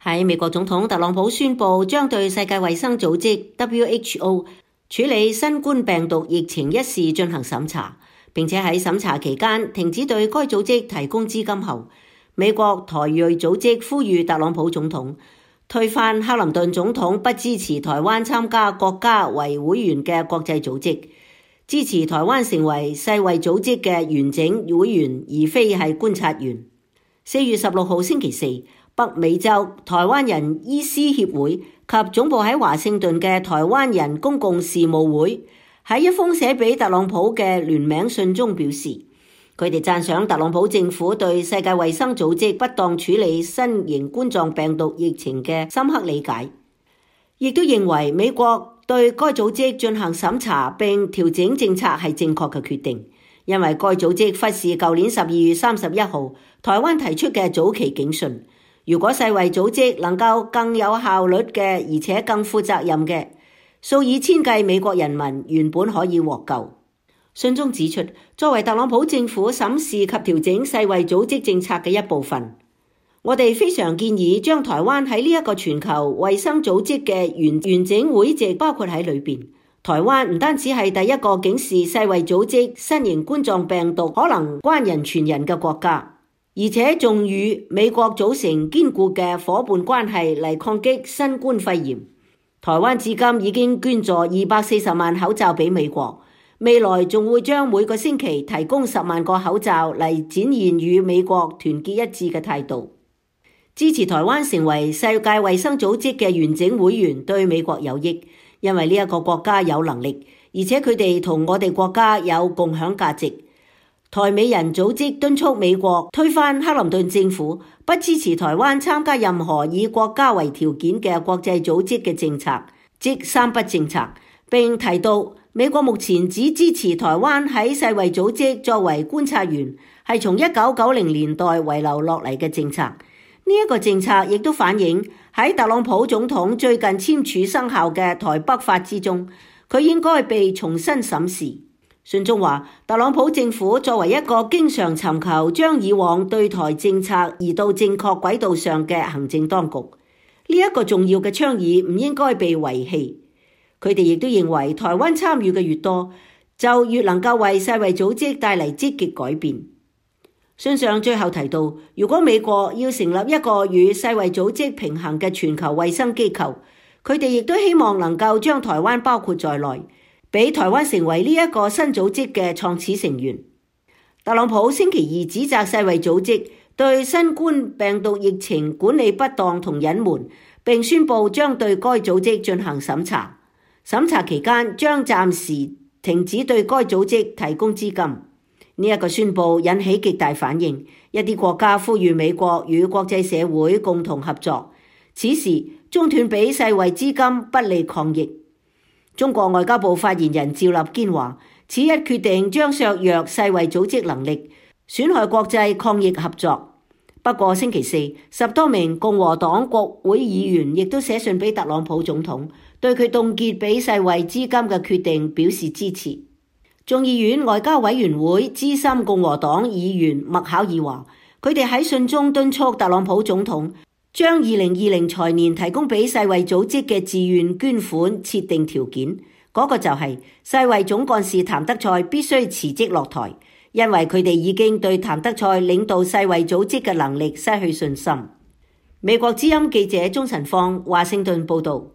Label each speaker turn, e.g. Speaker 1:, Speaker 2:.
Speaker 1: 喺美國總統特朗普宣布將對世界衛生組織 WHO 處理新冠病毒疫情一事進行審查，並且喺審查期間停止對該組織提供資金後，美國台裔組織呼籲特朗普總統推翻克林頓總統不支持台灣參加國家為會員嘅國際組織，支持台灣成為世衛組織嘅完整會員，而非係觀察員。4月16號星期四，北美洲台灣人醫師協會及總部喺華盛頓嘅台灣人公共事務會喺一封寫俾特朗普嘅聯名信中表示，佢哋讚賞特朗普政府對世界衛生組織不當處理新型冠狀病毒疫情嘅深刻理解，亦都認為美國對該組織進行審查並調整政策係正確嘅決定，因為該組織忽視舊年12月31號台灣提出嘅早期警訊。如果世衛組織能夠更有效率嘅，而且更負責任嘅，數以千計美國人民原本可以獲救。信中指出，作為特朗普政府審視及調整世衛組織政策嘅一部分，我哋非常建議將台灣喺呢一個全球衛生組織嘅完整會籍包括喺裏邊。台灣唔單止係第一個警示世衛組織新型冠狀病毒可能關人傳人嘅國家，而且仲與美國組成堅固嘅夥伴關係嚟抗擊新冠肺炎。台灣至今已經捐助240萬口罩俾美國，未來仲會將每個星期提供10萬個口罩嚟展現與美國團結一致嘅態度。支持台灣成為世界衛生組織嘅完整會員對美國有益，因為呢一個國家有能力，而且佢哋同我哋國家有共享價值。台美人組織敦促美國推翻克林頓政府不支持台灣參加任何以國家為條件嘅國際組織嘅政策，即三不政策，並提到美國目前只支持台灣喺世衛組織作為觀察員，係從1990年代遺留落嚟嘅政策。呢一個政策亦都反映喺特朗普總統最近簽署生效嘅台北法之中，佢應該被重新審視。信中話，特朗普政府作為一個經常尋求將以往對台政策移到正確軌道上嘅行政當局，呢一個重要嘅倡議唔應該被遺棄。佢哋亦都認為台灣參與嘅越多，就越能夠為世衛組織帶嚟積極改變。信上最後提到，如果美國要成立一個與世衛組織平衡嘅全球衛生機構，佢哋亦都希望能夠將台灣包括在內，俾台灣成為呢一個新組織嘅創始成員。特朗普星期二指責世衛組織對新冠病毒疫情管理不當同隱瞞，並宣布將對該組織進行審查。審查期間將暫時停止對該組織提供資金。呢一個宣布引起極大反應，一啲國家呼籲美國與國際社會共同合作。此時中斷俾世衛資金不利抗疫。中國外交部發言人趙立堅話，此一決定將削弱世衛組織能力，損害國際抗疫合作。不過星期四，10多名共和黨國會議員亦都寫信俾特朗普總統，對佢凍結俾世衛資金嘅決定表示支持。眾議院外交委員會資深共和黨議員麥考爾話，佢哋喺信中敦促特朗普總統將2020財年提供俾世衛組織嘅自願捐款設定條件，嗰個就係世衛總幹事譚德塞必須辭職落台，因為佢哋已經對譚德塞領導世衛組織嘅能力失去信心。美國之音記者鍾晨芳華盛頓報道。